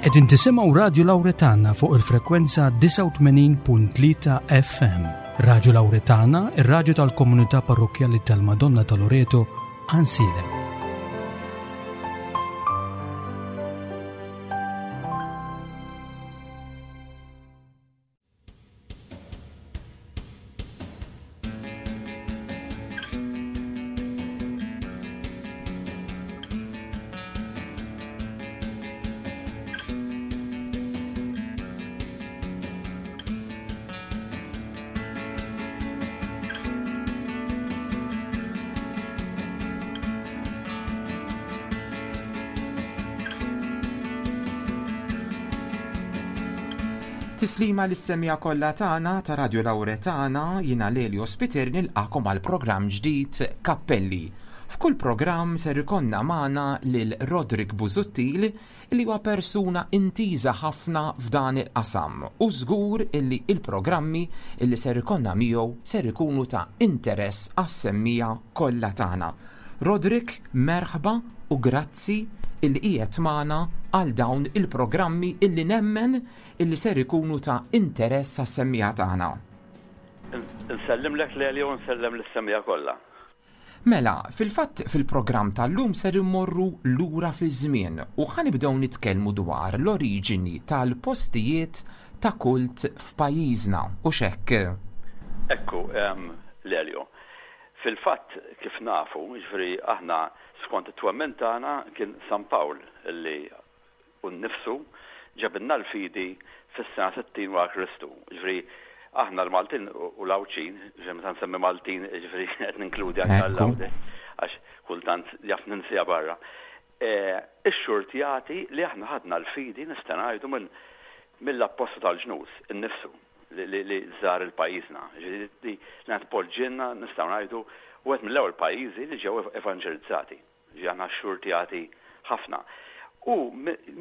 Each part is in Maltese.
Qegħdin tisimgħu Radju Lawretana fuq il-frekwenza 89.3 FM. Radju Lawretana, ir-radju tal-komunità parrokkjali tal-Madonna ta' Loreto, Ansilem. Tislima lis-semmiegħa kollha tagħna ta' Radio Lauretana, jiena Lelio Spiteri nilqakom għal programm ġdid Kappelli. F'kull programm ser ikollna magħna lil Roderick Busuttil li huwa persuna intiża ħafna f'dan il-qasam u żgur illi il-programmi illi ser ikollna miegħu ser ikunu ta' interess għas-semmiegħa kollha tagħna. Roderick, merħba u grazzi illi qiegħed magħna għal dawn il-programmi illi nemmen illi ser ikunu ta' interess għas-semmiegħa tagħna. Insellimlek Lelio u nsellem lis-semmiegħa kollha. Mela, fil-fatt fil-programm tal-lum ser immorru lura fiż-żmien u ħa nibdew nitkellmu dwar l-oriġini tal-postijiet ta' kult f'pajjiżna, hux hekk? Ekku, Lelio. Fil-fatt, kif nafu, jiġifieri aħna skont it-twemmin tagħna kien San Pawl li hu nnifsu ġabilna l-fidi fis-sena 60 wara Kristu. Jiġifieri aħna l-Maltin u l-Għawdxin, jiġifieri meta nsemmi Maltin jiġifieri qed ninkludi anke għall-Għawdex għax kultant jaf ninsiha barra. Ix-xurtjati li aħna ħadna l-fidi nista' ngħidu minn mill-Appostlu tal-ġnus innifsu. li żar il-pajjiżna, jiġifieri li li tpoġġielna nistgħu ngħidu wieħed mill-ewwel pajjiżi li ġew evanġelizzati. Jiġifieri aħna xxurtjati ħafna. U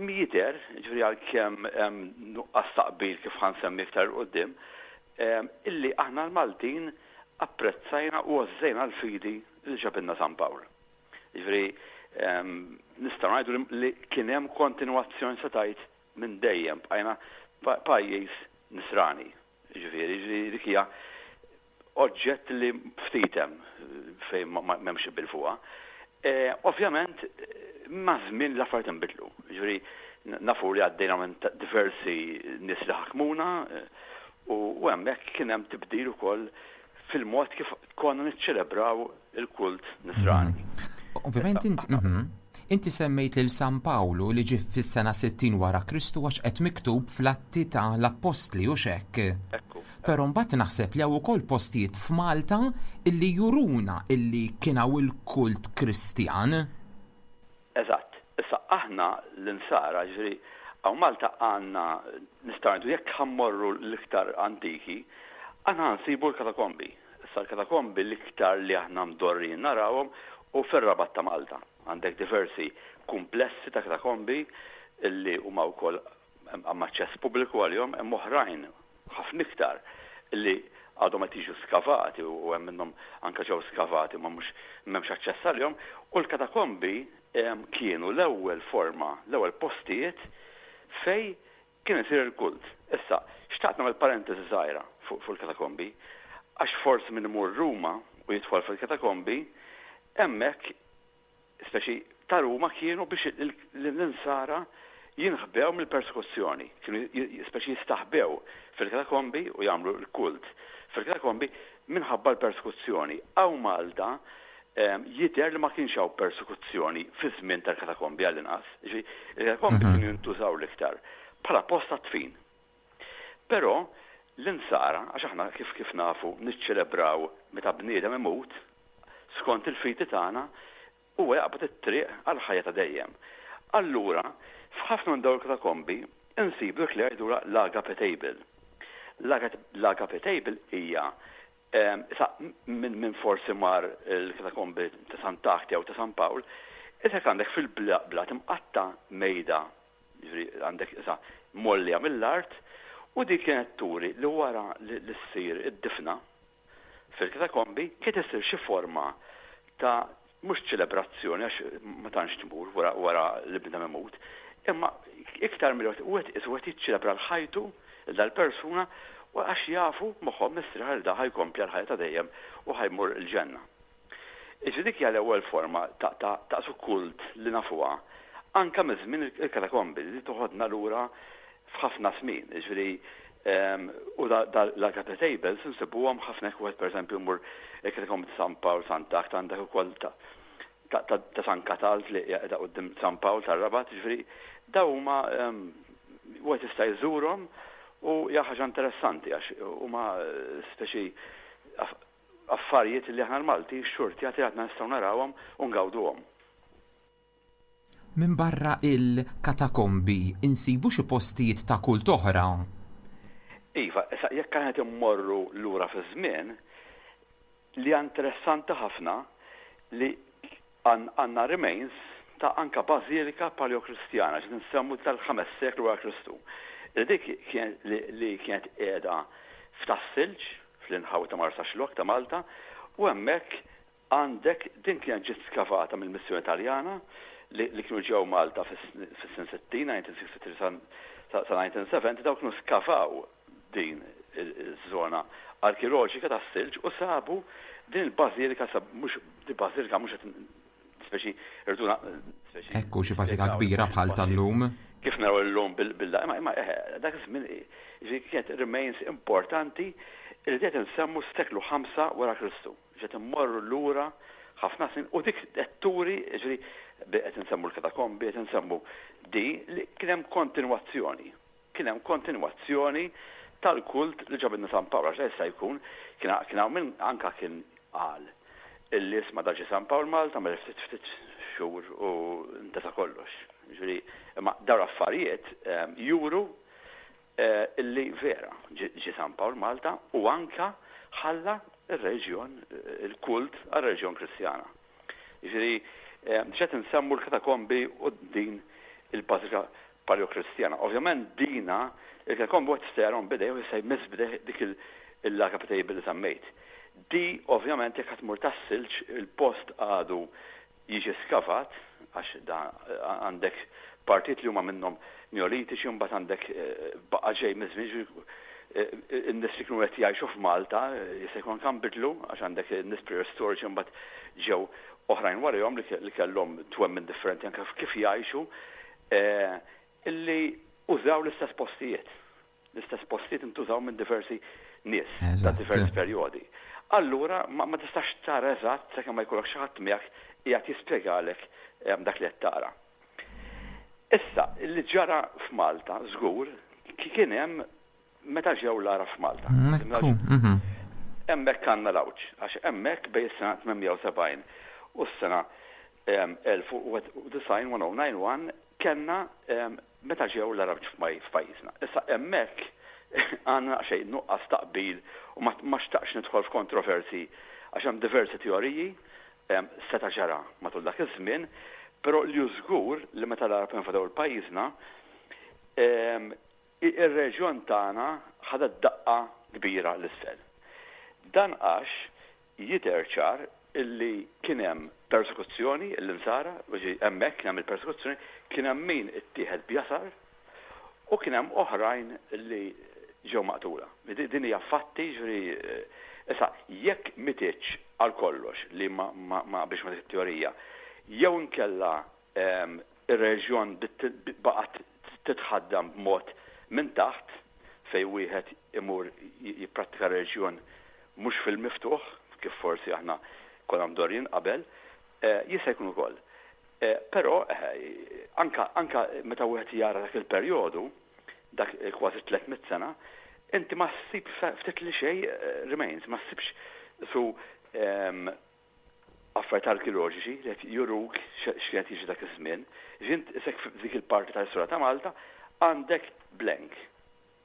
jidher, jiġifieri għalkemm hemm nuqqas ta' qbil kif ħa nsemmi iktar 'il quddiem, illi aħna l-Maltin apprezzajna u għożżejna l-fidi li ġabilna San Pawl. Jiġifieri nistgħu ngħidu li kien hemm kontinwazzjoni se tgħid Minn dejjem bqajna pajjiż Nisrani. Jiġifieri, jiġifieri dik hija oġġett li ftit hemm fejn m'hemmx qbil fuqha. Ovvjament, maż-żmien l-affarijiet inbidlu. Jiġifieri nafu li għaddejna minn diversi nies li ħakmuna u hemmhekk kien hemm tibdil ukoll fil-mod kif konna niċċelebraw il-kult Nisrani. Ovvjament inti inti semmejt lil San Pawlu li ġie fis-sena 60 wara Kristu għax qed miktub fl-Atti ta' l-Appostli hux hekk? Ekku. Però mbagħad naħseb li hawn ukoll postijiet f'Malta illi juruna illi kien hawn il-kult Kristjan. Eżatt. Issa aħna l-Insara, jiġifieri hawn Malta għandna nistgħu ngħidu jekk ħa mmorru l-iktar antiki, aħna ħa nsibu l-katakombi. Issa l-katakombi l-iktar li aħna mdorrijin narawhom hu fir-Rabat ta' Malta. Għandek diversi kumplessi ta' katakombi li huma wkoll hemm aċċess pubbliku għalihom, hemm oħrajn ħafna iktar li għadhom qed jiġu skavati u hemm minnhom anke ġew skavati ma mhux m'hemmx aċċess għalihom u l-katakombi kienu l-ewwel forma, l-ewwel postijiet fejn Kien isir il-kult. Issa, xtaqt nagħmel parentesi żgħira fuq il-katakombi, għax forsi min imur Ruma u jidħol fil-katakombi, hemmhekk, speċi ta' Ruma kienu biex l-insara jinħbew mill-persekuzzjoni, kienu speċi jistaħbew fil-katakombi u jagħmlu l-kult fil-katakombi minħabba l-persekuzzjoni. Hawn Malta jidher li ma kienx hawn persekuzzjoni fiż-żmien tal-katakombi għall-inqas. Jiġifieri, il-katakombi kienu jintużaw l-iktar bħala post għad-dfin. Però l-Insara, għax aħna kif kif nafu niċċelebraw meta bniedem imut, skont il-fidi tagħna, huwa jaqbad it-triq għall-ħajja ta' dejjem. Allura, f'ħafna minn dawn il-katakombi insibu dik li jgħidulha l-agape table. L-agape table hija Issa, min min forsi mar il-katakombi ta' Sant'Agħti jew ta' San Pawl, isek għandek fil-blat imqatta' mejda, jiġifieri għandek issa mgħollija mill-art, u dik kienet turi li wara li ssir id-difna fil-katakombi kienet issir xi forma ta' mhux ċelebrazzjoni għax ma tantx tmur wara wara li bniedem imut, imma Iktar milli wieħed qisu qed jiċċelebra l-ħajtu lil dal-persuna u għax jafu moħħhom mistrieħ li da ħa jkompli għall-ħajja ta' dejjem u ħa jmur il-ġenna. Jiġifieri dik hija l-ewwel forma ta' ta' ta' su kult li nafuha anke miż-żmien il-katakombi li toħodna lura f'ħafna snin. Jiġifieri u da da l-Agape Tables insibuhom ħafna jekk wieħed pereżempju jmur il-katakombi ta' San Pawl, Sant'Agħta għandek ukoll ta' ta' ta' San Katald li hija qiegħda quddiem San Pawl tar-Rabat, jiġifieri dawn huma wieħed jista' jżurhom u hija ħaġa interessanti għax huma speċi affarijiet li aħna l-Maltin xxurtjati għadna nistgħu narawhom u ngawduhom. Minbarra il-katakombi insibu xi postijiet ta' kult oħra? Iva, issa jekk aħna qed immorru lura fiż-żmien, Li hija interessanti ħafna li għandna remains ta' anka bażilika paleokristjana, ġiet insemmu tal-ħames seklu wara Kristu. Li dik li kienet qiegħda f'Tas-Silġ, fl-inħawi ta' Marsaxlokk ta' Malta, u hemmhekk għandek din kienet ġiet skavata mill-missjoni Taljana li kienu ġew Malta fis-snin 60, 1963 sa 1970, dawk kienu skavaw din iż-żona arkeoloġika tas-silġ u sabu din il-bażilika sab mhux di bażilika mhux qed speċi irdu speċi Ekku xi bażilika kbira bħal tal-lum. Kif naraw illum bil imma imma eħe dak iż-żmien jiġifieri kienet remains importanti li qed insemmu s-seklu 5 wara Kristu. Qed immorru lura ħafna snin u dik qed turi jiġifieri qed insemmu l-katakombi, qed insemmu di li kien hemm kontinwazzjoni. Kien hemm kontinwazzjoni tal-kult li ġabilna San Pawl, għax jista' jkun kien kien hawn min anke kien qal illi isma' da ġie San Pawl Malta għamel ftit ftit xhur u ntesa kollox. Jiġifieri imma dawn l-affarijiet juru illi vera ġie San Pawl Malta u anke ħalla r-reliġjon, il-kult għar-reliġjon Kristjana. Jiġifieri diġà qed insemmu l-katakombi u din il-bażilika Paleokristjana. Ovvjament dina il-katakombi wieħed jista' jarahom b'idejh u jista' jmiss b'idejh dik il-lagħqa table li semmejt. Di ovvjament jekk ħa tmur tas-silġ il-post għadu jiġi skavat għax da għandek partijiet li huma minnhom Neolitiċi u mbagħad għandek baqa' ġej miż-żmien jiġifieri in-nies li kienu qed jgħixu f'Malta jista' jkun anke nbidlu għax għandek nies preistoriċi mbagħad ġew oħrajn warajhom li kellhom twemmin differenti anke kif jgħixu Illi użaw l-istess postijiet. L-istess postijiet intużaw minn diversi nies ta' diversi perjodi. Allura ma tistax tara eżatt sakemm ma jkollok xi ħadd miegħek qiegħed jispjegalek dak li qed tara. Issa, li ġara f'Malta żgur kien hemm Meta ġew l-Għarab f'Malta. Ekku, mhm. Hemmhekk għandna l-għawġ, għax hemmhekk bejn is-sena 870 u s-sena 1091, 1091, kellna meta ġew l-Għarab f'pajjiżna. Issa hemmhekk għandna daqsxejn nuqqas ta' qbil u ma xtaqtx nidħol f'kontroversji għax hemm diversi teoriji seta' ġara matul dak iż-żmien, però li hu żgur li meta l-Għarab invadew il-pajjiżna, Ir-reġjun tagħna ħadet daqqa kbira 'l isfel. Dan għax jidher ċar illi kien hemm persekuzzjoni, l-Insara, jiġifieri hemmhekk kien hemm il-persekuzzjoni, kien hemm min ittieħed b'jasar u kien hemm oħrajn li ġew maqtula. Din hija fatti, jiġifieri issa jekk mititx għal kollox li ma naqbilx ma' dik it-teorija, jew inkella Ir-reġjun baqgħet titħaddem b'mod minn taħt fejn wieħed imur jipprattika reġjun mhux fil-miftuħ kif forsi aħna konna mdorrijin qabel, jista' jkun ukoll. Però anke anke meta wieħed jara dak il-perjodu, dak kważi 300 sena, inti ma ssib ftit li xejn remains, ma ssibx su affarijiet arkeoloġiċi li qed juruk x'kien qed jiġri dak iż-żmien. Jiġifieri int isek f'dik il-parti tal-istorja ta' Malta għandek blank.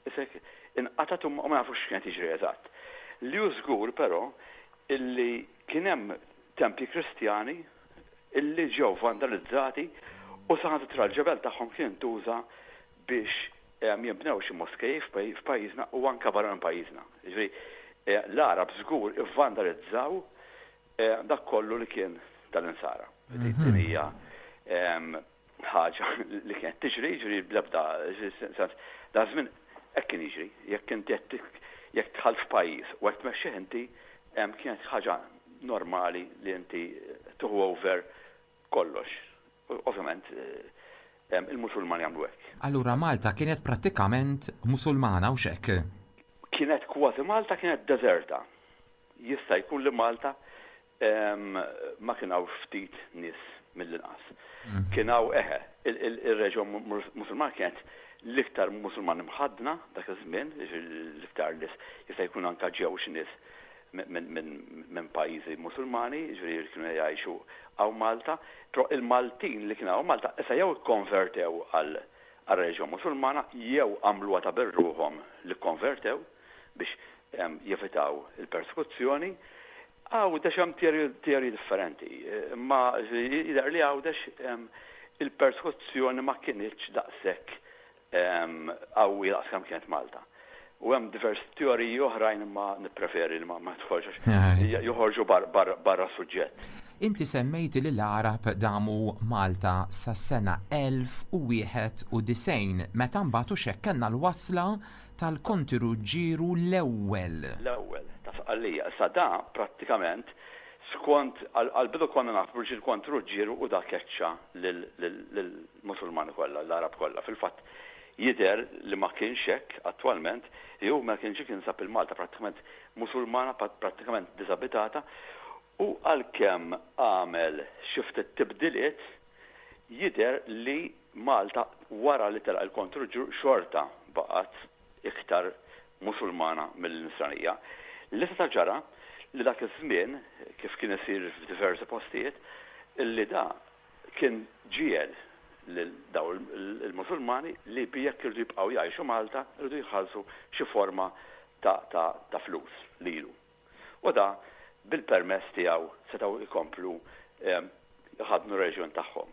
Isek inqatgħet u ma nafux x'kien qed jiġri eżatt. Li hu żgur però illi kien hemm tempji Kristjani illi ġew vandalizzati u saħansitra l-ġebel tagħhom kien intuża biex jinbnew xi moskej f'pajjiżna u anke barra minn pajjiżna. Jiġifieri l-Għarab żgur ivvandalizzaw dak kollu li kien tal-Insara. Din hija ħaġa li kienet tiġri, jiġri bl-ebda sens. Da żmien hekk kien jiġri, jekk inti jekk dħalt f'pajjiż u qed tmexxih inti, kienet ħaġa normali li inti tieħu over kollox. Ovvjament il-Musulmani għamlu hekk. Allura Malta kienet prattikament Musulmana hux hekk? Kienet kważi Malta kienet deżerta. Jista' jkun li Malta ma kien hawn ftit nies mill-inqas. Kien hawn, eħe, ir-reġjun Musulman kienet l-iktar Musulman imħaddna dak iż-żmien, jiġifieri l-iktar nies, jista' jkun anke ġew xi nies minn pajjiżi Musulmani, jiġifieri li kienu jgħixu hawn Malta, però il-Maltin li kienu hawn Malta issa jew ikkonvertew għar-reliġjon Musulmana jew għamluha ta' bir-ruħhom li kkonvertew biex jevitaw il-persekuzzjoni. Għawdex hemm teoriji differenti, imma jidher li Għawdex il-persekuzzjoni ma kinitx daqshekk qawwija daqs kemm kienet Malta. U hemm diversi teoriji oħrajn imma nippreferi li ma nidħolx għax joħorġu barra s-suġġett. Inti semmejt li l-Għarab damu Malta sas-sena 1091 meta mbagħad hux hekk kellna l-wasla tal-Konti Ruġġieru l-Ewwel. L-Ewwel, ta' Sqallija. Issa da prattikament skont, għall-bidu konna nafu li l-Kont Ruġġieru u da keċċa lill-Musulmani kollha, l-Għarab kollha. Fil-fatt jidher li ma kienx hekk attwalment, jew ma kienx kien sab il-Malta prattikament Musulmana, prattikament diżabitata, u għalkemm għamel xi ftit tibdiliet, Jidher li Malta wara li telaq il-Kont Ruġġieru xorta baqgħet iktar Musulmana milli Nisranija. Li seta' ġara li dak iż-żmien, kif kien isir f'diversi postijiet, li da kien ġiegħel lil dawn il-Musulmani li jekk iridu jibqgħu jgħixu Malta jridu jħallsu xi forma ta' flus lilu. U da bil-permess tiegħu setgħu jkomplu jħaddnu r-reliġjon tagħhom.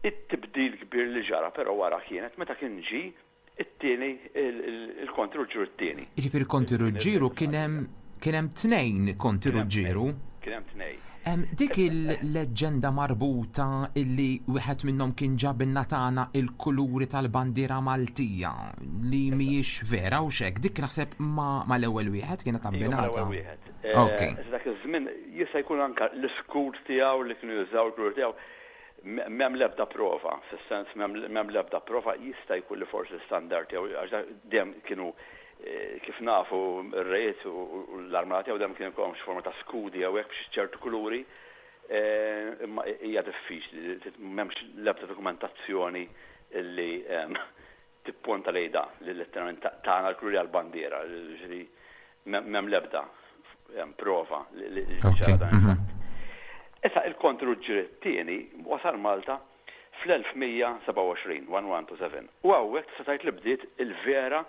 It-tibdil kbir li ġara però wara kienet meta kien ġie t-tieni il-Konti Ruġġieru t-tieni. Jiġifieri Konti Ruġġieru kien hemm kien hemm tnejn Konti Ruġġieru. Kien hemm tnejn. Dik il-leġġenda marbuta illi wieħed minnhom kien ġabilna tagħna il-kuluri tal-bandiera Maltija li mhijiex vera hux hekk, dik naħseb mal-ewwel wieħed kienet abbinata. Iva, mal-ewwel wieħed. Ok. Dak iż-żmien jista' jkun anke l-iskud tiegħu li kienu jużaw il-kuluri tiegħu m'hemm l-ebda prova, fis-sens m'hemm l-ebda prova, jista' jkun li forsi l-istandard tiegħu għax dejjem kienu Kif nafu, ir-rejiet u l-armata tiegħu dejjem kien ikollhom xi forma ta' skudi jew hekk b'xi ċertu kuluri, imma hija diffiċli, m'hemmx l-ebda dokumentazzjoni li tipponta lejn dan, li letteralment tana l-kuluri għall-bandiera, jiġifieri m'hemm l-ebda prova li ġara dan il-fatt. Issa il-Kont Ruġġier it-Tieni wasal Malta fl-1127, 1127, u hawnhekk tista' tgħid li bdiet il-vera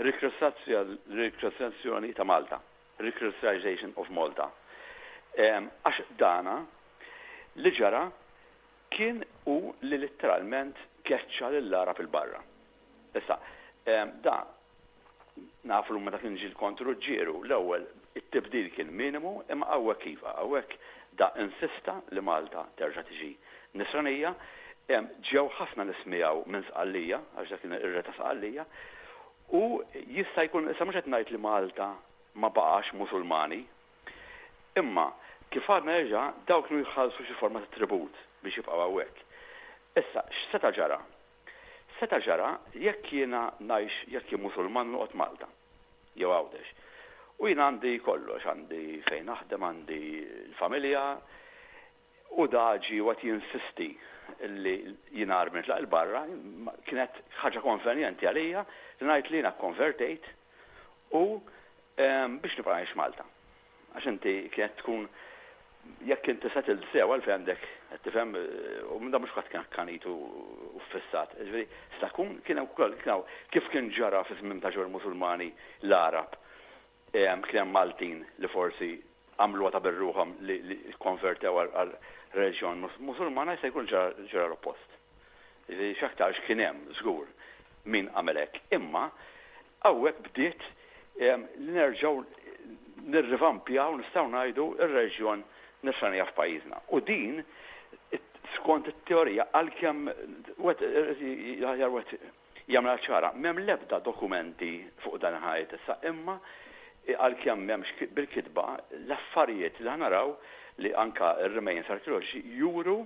rikristazzjoni ta' Malta, Rechristianization of Malta. Għax dana li ġara kien hu li litteralment keċċa lill-Għarab 'il barra. Issa, da Nafu llum meta kien ġie l-Kont Ruġġieru, l-ewwel it-tibdil kien minimu imma hawnhekk iva, hawnhekk da insista li Malta terġa' tiġi Nisranija. Ġew ħafna nies miegħu minn Sqallija, għax dak kien ir-Re ta' Sqallija, u jista' jkun, issa mhux qed ngħid li Malta ma baqax Musulmani, imma kif għadna diġà dawk kienu jħallsu xi forma ta' tribut biex jibqgħu hawnhekk. Issa x'seta' ġara? Seta' ġara jekk jiena ngħix, jekk jien Musulman u noqgħod Malta, jew Għawdex, u jiena għandi kollox, għandi fejn naħdem, għandi l-familja, u da ġie u qed jinsisti li jiena armi nitlaq 'il barra, kienet ħaġa konvenjenti għalija li ngħid li jiena kkonvertejt u biex nibqa' ngħix Malta. Għax inti kienet tkun jekk inti settled sew għalfejn għandek qed tifhem u minn dan mhux kulħadd kien akkanit u ffissat. Jiġifieri seta' jkun kien hemm ukoll kien hawn kif kien ġara fi żmien ta' ġew il-Musulmani l-Għarab kien hemm Maltin li forsi għamluha ta' bir-ruħhom li kkonvertew għal reliġjon Musulmana jista' jkun ġara l-oppost. Jiġifieri x'aktarx kien hemm żgur min għamel hekk. Imma Hawnhekk bdiet li nerġgħu nirrivampjaw, nistgħu ngħidu, ir-reġjon Nisranija f'pajjiżna. U din, Skont it-teorija, għalkemm wieħed aħjar wieħed jagħmilha ċara, m'hemm l-ebda dokumenti fuq dan il-ħajt issa, imma għalkemm m'hemmx bil-kitba, l-affarijiet li naraw li anka r-remains arkeoloġiċi juru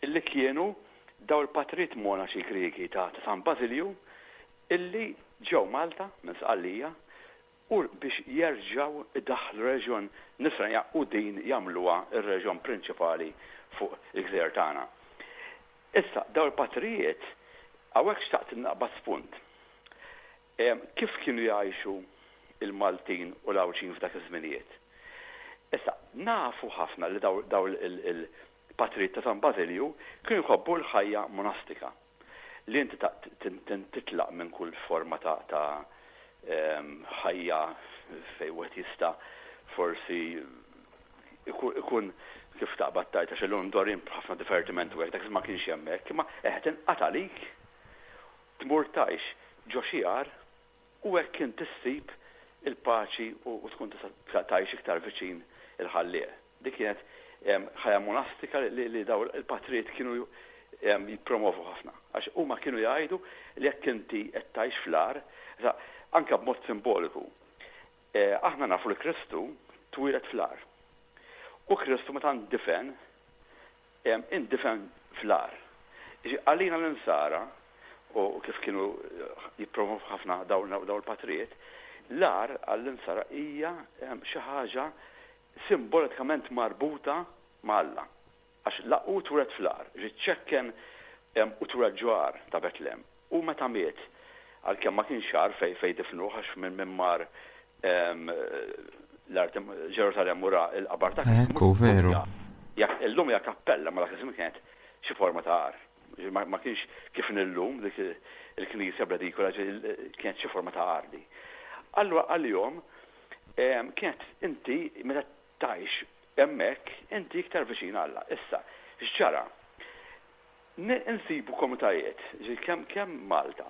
li kienu daw il-patrijiet monaċi Griegi ta' San Basilju illi ġew Malta minn Sqallija u biex jerġgħu idaħħlu reliġjon Nisranija u din jagħmluha r-reliġjon prinċipali fuq il-gżejjer tagħna. Issa, dawn il-patrijiet, hawnhekk xtaqt naqbad spunt. Kif kienu jgħixu l-Maltin u l-Għawdxin f'dak iż-żminijiet? Issa, nafu ħafna li dawn il-patrijiet ta' San Bażilju kienu jħobbu l-ħajja monastika. Li inti titlaq minn kull forma ta' ħajja fejn wieħed jista' forsi ikun kif taqbad tgħid għax illum mdorrijin b'ħafna divertiment u hekk, dak iż-żmien ma kienx hemm hekk, imma eħe tinqata' għalik tmur tgħix ġo xi għar u hekk inti ssib il-paċi u tkun tista' tgħix iktar viċin il-Ħallieq. Dik kienet ħajja monastika li dawn il-patrijiet kienu jippromovu ħafna. Għax huma kienu jgħidu li jekk inti qed tgħix fl-għar, anke b'mod simboliku, aħna nafu li Kristu twieled fl-għar. U Kristu meta ndifen, indifen fl-għar. Jiġifieri għalina l-Insara, u kif kienu jippromovu ħafna dawn il-patrijiet, l-għar għall-Insara hija xi ħaġa simbolikament marbuta ma' Alla. Għax la hu twieled fl-għar, ġie ċċekken u twieled ġo għar ta' Betlem. U meta miet, għalkemm ma kienx għar fejn fejn difnuh għax minn min mar l-art Ġerusalemm u ra l-qabar ta' Kristu. Ekku, veru. Illum hija kappella, ma dak iż-żmien kienet xi forma ta' għar. Ma kienx kif inhi llum dik il-knisja bl-edikola, kienet xi forma ta' għar di. Allura għalihom kienet inti meta tgħix hemmhekk inti iktar viċin Alla. Issa, x'ġara? Insibu komunitajiet, ġifieri kemm kemm Malta,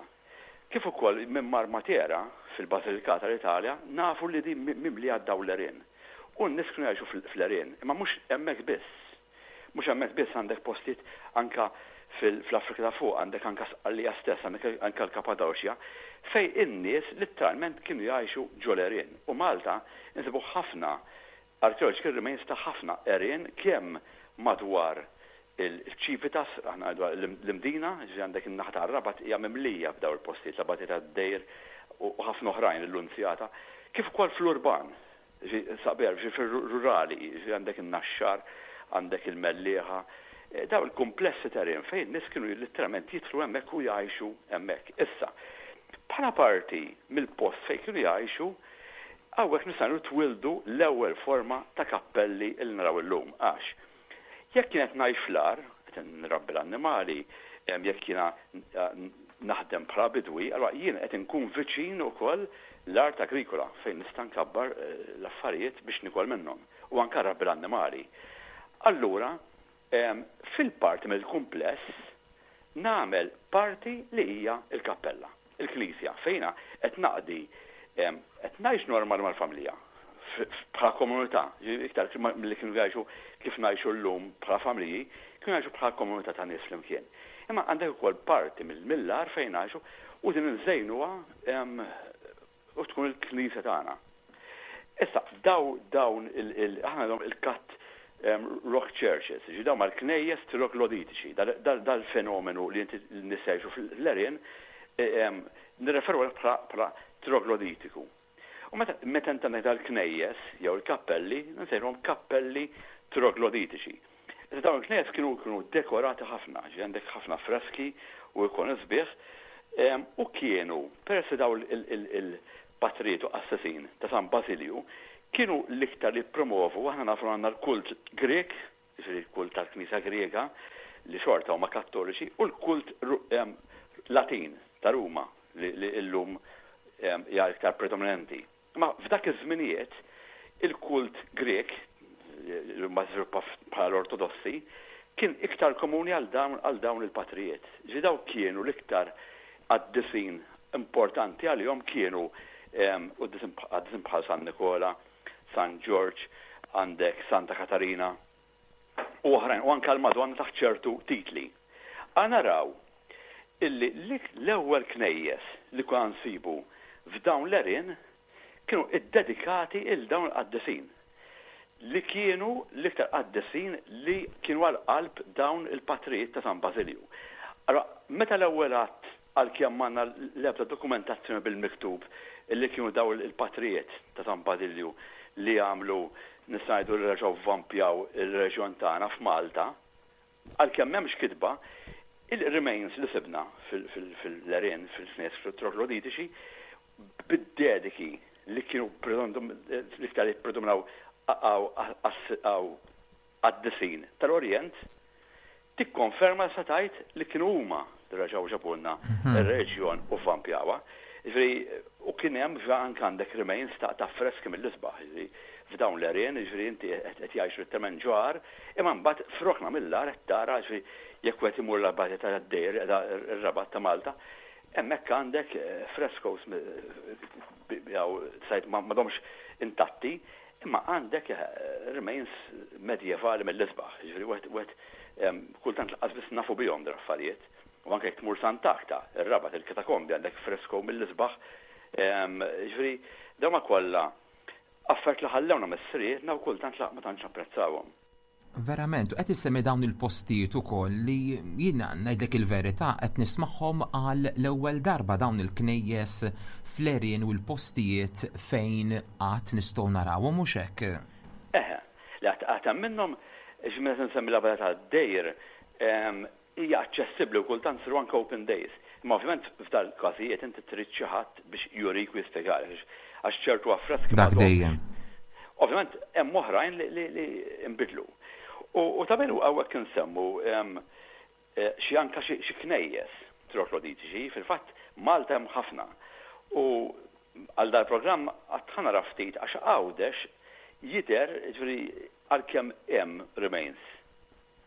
kif ukoll minn mar Matera fil-Basilikata l-Italja, nafu li din mimlija dawn l-għerien. U n-nies kienu jgħixu fl-għerien, imma mhux hemmhekk biss. Mhux hemmhekk biss għandek postijiet anke fl-Afrika ta' Fuq, għandek anke Sqallija stess, għandek anke l-Kapadoċja, fejn in-nies litteralment kienu jgħixu ġol-għerien. U Malta nsibu ħafna archaeological remains ta' ħafna għerien kemm madwar il-Civitas, aħna ngħidu l-Imdina, jiġifieri għandek in-naħa tar-Rabat hija mimlija b'dawn il-postijiet, l-Abatija tad-Dejr u ħafna oħrajn, il-Lunzjata, kif ukoll fl-urban. Saber, fir-rurali, jiġifieri għandek in-Naxxar, għandek il-Mellieħa, dawn il-kumplessi terrien fejn in-nies kienu litteralment jidħlu hemmhekk u jgħixu hemmhekk. Issa, bħala parti mill-post fejn kienu jgħixu, hawnhekk nistgħu ngħidu twieldu l-ewwel forma ta' kappelli li naraw illum għax jekk jien qed ngħix fl-għar, qed nrabbi l-annimali, jekk jiena naħdem bħala bidwi, allura jien qed inkun viċin ukoll l-art agrikola fejn nista' nkabbar l-affarijiet biex nikol minnhom u anke nrabbi l-annimali. Allura, fil-parti mill-kumpless nagħmel parti li hija l-kappella, il-knisja, fejn jiena qed naqdi, qed ngħix normali mal-familja, bħala komunità, iktar milli kienu jgħixu kif ngħixu llum bħala familji, kienu jgħixu bħala komunità ta' nies flimkien. Imma għandek ukoll parti mill-għar fejn ngħixu u din inżejnuha u tkun il-knisja tagħna. Issa, daw dawn il aħna għandhom il-cut rock churches, ġi dawn mal-knejjes trogloditiċi, dal-fenomenu li inti n-nies jgħixu fl-għerien, nirreferu għalih bħala trogloditiku. U meta meta inti għandek dal-knejjes jew il-kappelli, nsejħulhom kappelli trogloditiċi. Issa dawn il-knejjes kienu kienu dekorati ħafna, ġifieri għandek ħafna freski u ikoni sbieħ, u kienu, peress li dawn il-patrijiet u qassisin ta' San Basilju kienu l-iktar li jippromovu, aħna nafu li għandna l-kult Grieg, jiġifieri l-kult tal-Knisja Griega, li xorta huma Kattoliċi, u l-kult Latin ta' Ruma li llum hija iktar predominanti. Imma f'dak iż-żminijiet il-kult Grieg, li mbagħad żviluppa bħala l-Ortodossi, kien iktar komuni għal dawn għal dawn il-patrijiet. Ġifieri dawk kienu l-iktar qaddisin importanti għalihom kienu qaddisin bħal San Nikola, San Ġorġ, għandek Santa Katarina. U oħrajn, u anke l-Madonna taħt ċertu titli. Ħa naraw illi l-ewwel knejjes li konna nsibu f'dawn l-għerien kienu ddedikati 'l dawn il-qaddisin, li kienu l-iktar qaddisin li kienu għal qalb dawn il-patrijiet ta' San Bażilju. Allura, meta l-ewwel għadd, għalkemm m'għandna l-ebda dokumentazzjoni bil-miktub li kienu dawn il-patrijiet ta' San Bażilju li għamlu, nista' ngħidu li reġgħu vvampjaw ir-reġjon tagħna f'Malta, Għalkemm m'hemmx kitba, il-remains li sibna fil-għerien, fil-knejjes trogloditiċi, bid-dediki li kienu l-iktar li ppredominaw qaddisin tal-Orjent, tikkonferma sa tgħid li kienu huma li reġgħu ġabulna r-reliġjon u vvampjawha. Jiġifieri, u kien hemm anke għandek remains ta' affreski mill-isbaħ, jiġifieri f'dawn l-għerien, jiġifieri inti qed jgħixu letteralment ġo għar, imma mbagħad f'rokna mill-għar qed tara, jiġifieri jekk wieħed imur l-Abbazja ta' Dejr li qiegħda r-Rabat ta' Malta, hemmhekk għandek frescoes jew tgħid m'għadhomx intatti, imma għandek remains medjevali mill-isbaħ, jiġifieri wieħed wieħed kultant lanqas biss nafu bihom dawn l-affarijiet. U anke jekk tmur Sant'Agta, ir-Rabat, il-Katakombi għandek fresko mill-isbaħ. Jiġifieri dawn huma kollha affarijiet li ħallewna missirietna u kultant ma tantx napprezzawhom. Verament, u qed issemmi dawn il-postijiet ukoll li jiena ngħidlek il-verità qed nismagħhom għal l-ewwel darba dawn il-knejjes fl-għerien u l-postijiet fejn għad nistgħu narawhom hux hekk? Eħe, li għad hemm minnhom, ġifieri meta nsemmi l-Abela tad-Dejr, Hija aċċessibbli u kultant isiru anke open days. Imma ovvjament f'dal-każijiet inti trid xi ħadd biex jurik u jispjegalek għax ċertu affreski Dak dejjem. Ovvjament hemm oħrajn li nbidlu. U ta' min hawnhekk insemmu xi anke xi knejjes trogloditiċi, fil-fatt Malta hemm ħafna. U għal dal-programm għad ħa nara ftit għax Għawdex jidher, jiġifieri għalkemm hemm remains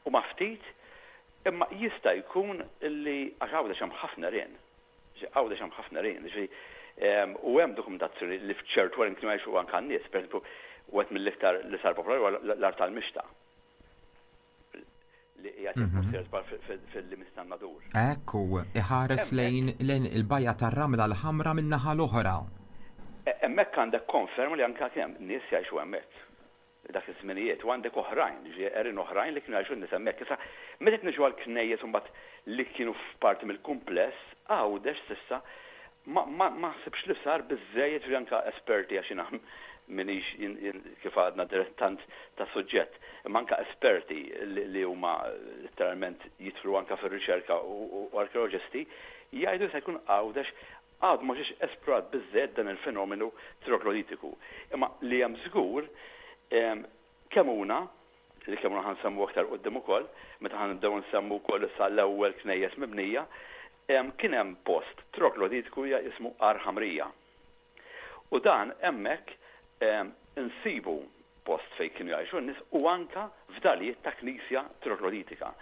Huma ftit, imma jista' jkun li, għax Għawdex hemm ħafna għerien, Għawdex hemm ħafna għerien, jiġifieri, u hemm dokumentazzjoni li f'ċertu għerien kienu jgħixu anke n-nies, pereżempju, wieħed mill-iktar li sar popolari huwa l-Għar tal-Mixta, li qiegħed jekk mhux sejjer żball fil-limiti tan-Nadur. Hekk hu, iħares lejn il-bajja tar-Ramla l-Ħamra min-naħa l-oħra. Hemmhekk għandek konferma li anke kien hemm nies jgħixu hemmhekk. dak iż-żminijiet, u għandek oħrajn, jiġifieri għerien oħrajn li kienu jgħixu n-nies hemmhekk. Issa, meta qed niġu għall-knejjes imbagħad li kienu f'parti mill-kumpless, Għawdex s'issa ma ma ma naħsibx li sar biżżejjed, jiġifieri anke esperti għax jiena m'iniex jien kif għadna dilettant tas-suġġett, imma anke esperti li li huma letteralment jidħlu anke fir-riċerka u u arkeoloġisti jgħidu li se jkun Għawdex Għadu ma ġiex esplorat biżżejjed dan il-fenomenu trogloditiku. Imma li hemm żgur, Kemuna, li Kemuna ħa nsemmu aktar quddiem ukoll, meta ħa nibdew nsemmu wkoll issa l-ewwel knejjes mibnija, kien hemm post trogloditiku jismu Għar Ħamrija. U dan hemmhekk insibu post fejn kienu jgħixu n-nies u anke fdalijiet ta' knisja trogloditika.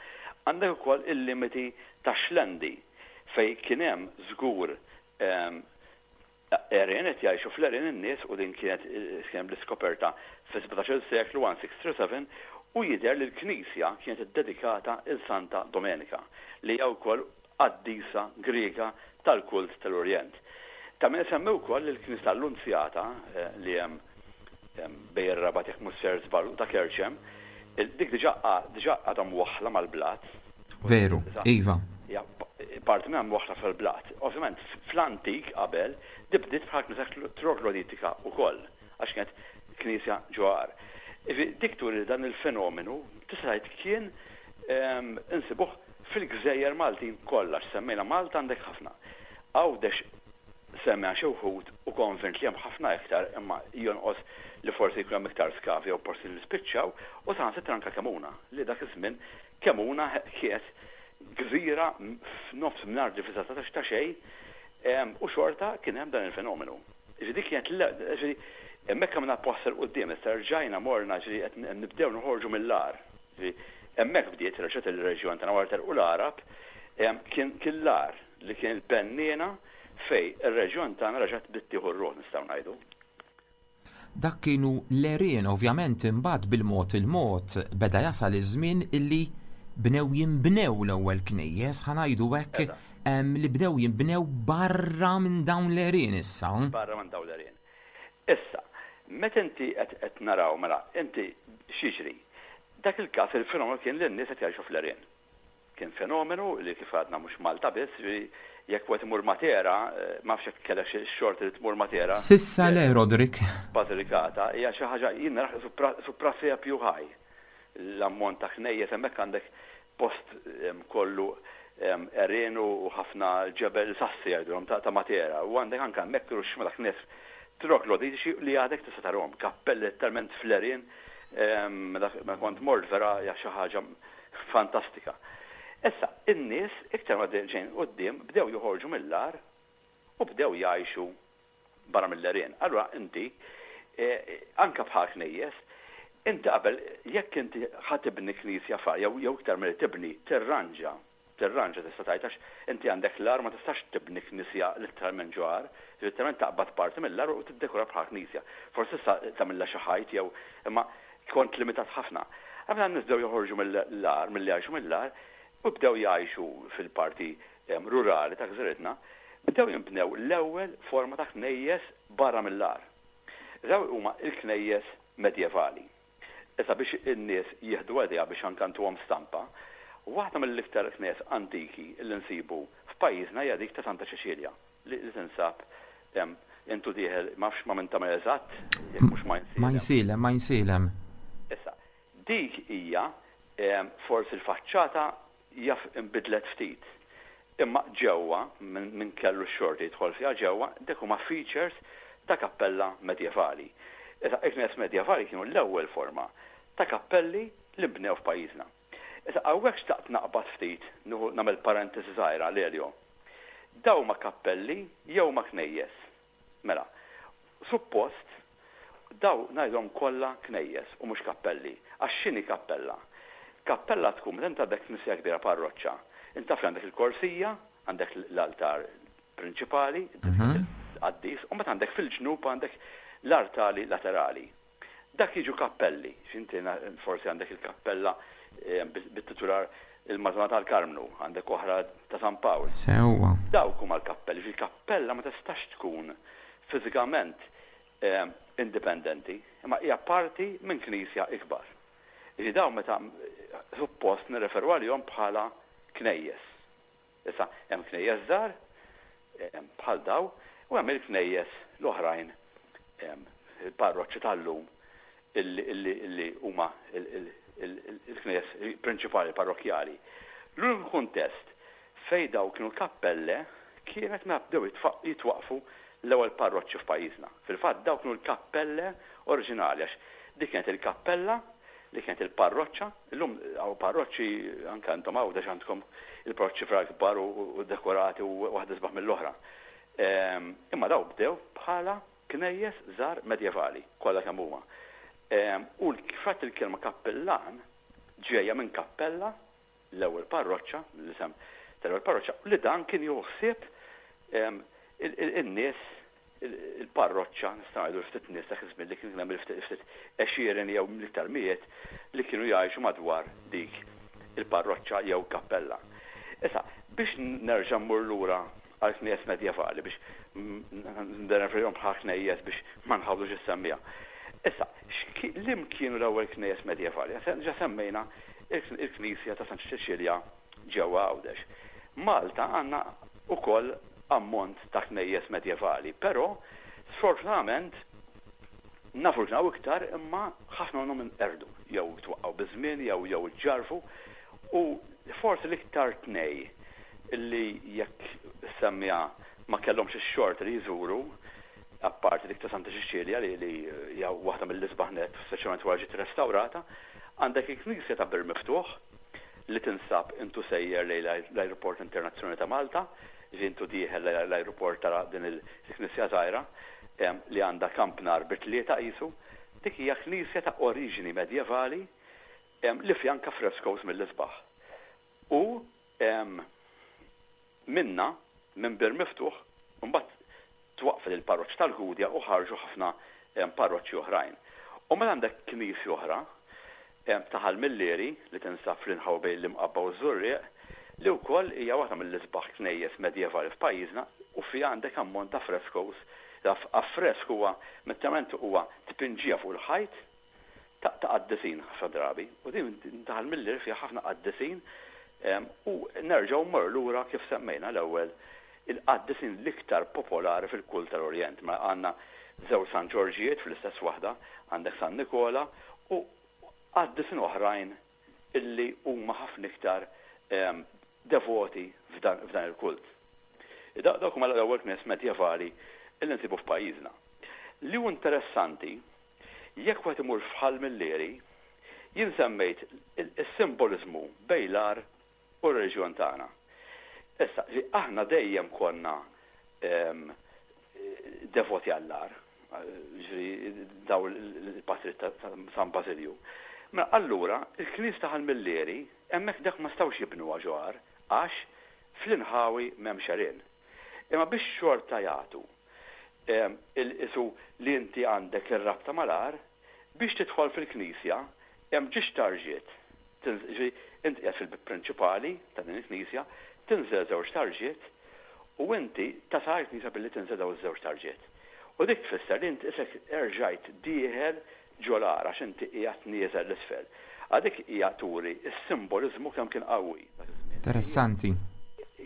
Għandek ukoll il-limiti tax-Xlendi fejn kien hemm żgur għerien qed jgħixu fl-għerien in-nies u din kienet kien hemm l-iskoperta fis-sbatax-il seklu 1637 u jidher li l-knisja kienet iddedikata 'l Santa Domenika li hija wkoll qaddisa Griega tal-kult tal-Orjent. Ta' min isemmi wkoll li l-Knisja tal-Lunzjata li hemm bejn ir-Rabat jekk mhux ser żball u ta' Kerċem, dik diġà diġà għadha mwaħħla mal-blat. Veru, iva. Hija parti minnha mwaħħla fil-blat. Ovvjament fl-antik qabel di bdiet bħala knisja trogloditika wkoll għax kienet knisja ġo għar. Jiġifieri dik turi li dan il-fenomenu tista' tgħid kien insibuh fil-gżejjer Maltin kollha, għax semmejna Malta għandek ħafna. Għawdex semmejna xi wħud u konvint li hemm ħafna iktar imma jonqos li forsi jkun hemm iktar skavi jew postijiet li spiċċaw u saħansitra anke Kemuna li dak iż-żmien Kemuna kienet gżira f'nofs mingħajr difiża ta' xejn u xorta kien hemm dan il-fenomenu. Jiġifieri dik kienet jiġifieri hemmhekk għamilna pass 'il quddiem issa rġajna morna jiġifieri qed nibdew noħorġu mill-għar. Jiġifieri hemmhekk bdiet reġgħet il-reġjon tagħna wara telqu l-Għarab, kien kien l-għar li kien il-benniena fejn ir-reġjon tagħna reġgħet bdiet tieħu r-ruħ nistgħu ngħidu. Dak kienu l-għerien, ovvjament imbagħad bil-mod il-mod beda jasal iż-żmien illi bnew jinbnew l-ewwel knejjes, ħa ngħidu hekk, li bdew jinbnew barra minn dawn l-għerien issa. Barra minn dawn l-għerien. Issa, meta inti qed qed naraw, mela, inti x'jiġri? Dak il-każ il-fenomenu kien li n-nies qed jgħixu fl-għerien. Kien fenomenu li kif għadna mhux Malta biss, jiġifieri jekk wieħed imur Matera, ma nafx jekk kellekx ix-xorti li tmur Matera. S'issa le, Roderick. Basilicata hija xi ħaġa jien narah qisu prasepju ħaj. L-ammont ta' knejjes hemmhekk għandek post kollu għerien u ħafna ġebel sassi jgħidulhom ta' Matera u għandek anke hemmhekk ruxxma ta' knejjes trogloditiċi li għadek tista' tarahom, kappelli letteralment fl-għerien meta kont mort vera hija xi ħaġa Fantastika. Issa, in-nies iktar ma ġejn quddiem bdew joħorġu mill-għar u bdew jgħixu barra mill-għerien. Allura inti, anke bħal knejjes, inti qabel jekk inti ħa tibni knisja f'għar jew jew iktar milli tibni, tirranġa, tirranġa tista' tgħid għax inti għandek l-għar ma tistax tibni knisja litteralment ġo għar, litteralment taqbad parti mill-għar u tiddekora bħala knisja. Forsi tista' tagħmilha xi ħajt jew imma kont limitat ħafna. Għamilha n-nies bdew joħorġu mill-għar, milli jgħixu mill-għar u bdew jgħixu fil-parti rurali ta' gżiritna, bdew jinbnew l-ewwel forma ta' knejjes barra mill-għar. Dawn huma l-knejjes medjevali. Issa biex in-nies jieħdu idea biex anke ntuhom stampa, waħda mill-iktar knejjes antiki li nsibu f'pajjiżna hija dik ta' Santa Ċeċilja li tinsab intu dieħel ma nafx ma' min tagħmel eżatt, jekk mhux ma' Insielem. Ma' Insielem, ma' Insielem. Issa, dik hija forsi l-faċċata jaf inbidlet ftit. Imma ġewwa, min kellu x-xorti jidħol fiha ġewwa, dik huma features ta' kappella medjevali. Issa, il-knejjes medjevali kienu l-ewwel forma ta' kappelli li nbnew f'pajjiżna. Issa, hawnhekk xtaqt naqbad ftit, nieħu nagħmel parentesi żgħira, Lelio. Dawn huma kappelli jew huma knejjes? Mela, suppost dawn ngħidhom kollha knejjes u mhux kappelli. Għax x'inhi kappella? Kappella tkun meta int għandek knisja kbira parroċċa, int taf li għandek il-korsija, għandek l-altar prinċipali, il-qaddis, u mbagħad għandek fil-ġnub għandek l-artali laterali. Dak jiġu kappelli, x'inti forsi għandek il-kappella bit-titular il-Madonna tal-Karmnu, għandek oħra ta' San Pawl. Sewwa. Dawk huma l-kappelli, jiġifieri kappella ma tistax tkun fiżikament indipendenti, imma hija parti minn knisja ikbar. Jiġifieri dawn meta suppost nirreferu għalihom bħala knejjes. Issa, hemm knejjes żgħar, bħal daw, u hemm il-knejjes l-oħrajn, il-parroċċi tal-lum, illi huma l-knejjes prinċipali parrokkjali. L-uniku kuntest fejn daw kienu kappelle kienet meta bdew jitwaqqfu l-ewwel parroċċi f'pajjiżna. Fil-fatt daw kienu l-kappelle oriġinali għax dik kienet il-kappella li kienet il-parroċċa Illum hawn parroċċi, anke intom Għawdex għandkom il-parroċċi fra kbar u dekorati u waħda isbaħ mill-oħra. Imma dawn bdew bħala knejjes żgħar medjevali, kollha kemm huma. U fatt il-kelma kappillan ġejja minn kappella, l-ewwel parroċċa, l-isem tal-ewwel parroċċa, li dan kien jieħu ħsieb in-nies il-parroċċa, nistgħu ngħidu l-ftit nies dak iż-żmien li kien hemm il-ftit għexieren jew l-iktar mijiet li kienu jgħixu madwar dik il-parroċċa jew kappella. Issa, biex nerġa' mmur lura għall-knejjes medjevali biex nirreferihom bħala knejjes biex ma nħawdux is-semmiegħa. Issa, liem kienu l-ewwel knejjes medjevali? Ġa semmejna il-knisja ta' Santa Ċeċilja ġewwa Għawdex. Malta għandna wkoll ammont ta' knejjes medjevali, però sfortunatament nafu li kien hawn iktar imma ħafna minnhom inqerdu jew twaqqgħu biż-żmien jew jew iġġarrfu u forsi l-iktar tnej li jekk semmiha ma kellhomx ix-xorti li jżuru apparti dik ta' Santa Ċiċilja li li hija waħda mill-isbaħ nett speċjalment wara ġiet restawrata, għandek il-knisja ta' Bir Miftuħ li tinsab intu sejjer lejn l-Ajruport Internazzjonali ta' Malta, jiġifieri intu dieħel lejn l-ajruport tara din il-knisja żgħira li għandha kampnar bi tlieta qisu. Dik hija knisja ta' oriġini medjevali li fiha anke frescoes mill-isbaħ. U minnha, minn Bir Miftuħ, imbagħad twaqqfet il-parroċċa tal-Gudja u ħarġu ħafna. parroċċi oħrajn. U mela għandek knisja oħra ta' Ħal Millieri li tinsab fl-inħawi bejn l-Imqabba u ż-Żurrieq li wkoll hija waħda mill-isbaħ knejjes medjevali f'pajjiżna u fiha għandek ammont ta' frescoes. Affresk huwa letteralment huwa tpinġija fuq il-ħajt ta' qaddisin ħafna drabi u din ta' Ħal Millieri fiha ħafna qaddisin u nerġgħu mmorru lura kif semmejna l-ewwel il-qaddisin l-iktar popolari fil-kult tal-Orjent. Mela għandna żewġ San Ġorġijiet fl-istess waħda, għandek San Nikola u qaddisin oħrajn illi huma ħafna iktar devoti f'dan il-kult. Dawk huma l-ewwel knejjes medjevali illi nsibu f'pajjiżna. Li hu interessanti, jekk wieħed imur f'Ħal Millieri, jien semmejt is-simboliżmu bejn l-għar u r-reliġjon tagħna. Issa, aħna dejjem konna devoti għall-għar, ġifieri daw il-patrijiet ta' San Basilju. Mela allura il-knisja ta' Ħal Millieri hemmhekk dak ma setgħux jibnuha ġo għar għax fl-inħawi m'hemmx għerien. Imma biex xorta jagħtu il-qisu li inti għandek ir-rabta mal-għar, biex tidħol fil-knisja hemm ġiex tarġiet Jiġifieri int qiegħed fil-bieb prinċipali ta' din il-knisja, tinżel żewġ tarġiet u inti tasal għall-knisja billi tinżel dawn iż-żewġ tarġiet. U dik tfisser li int isek erġajt dieħel ġo l-għar għax inti qiegħed nieżel 'l isfel. Għal dik hija turi s-simboliżmu kemm kien qawwi dak iż-żmien. Interessanti.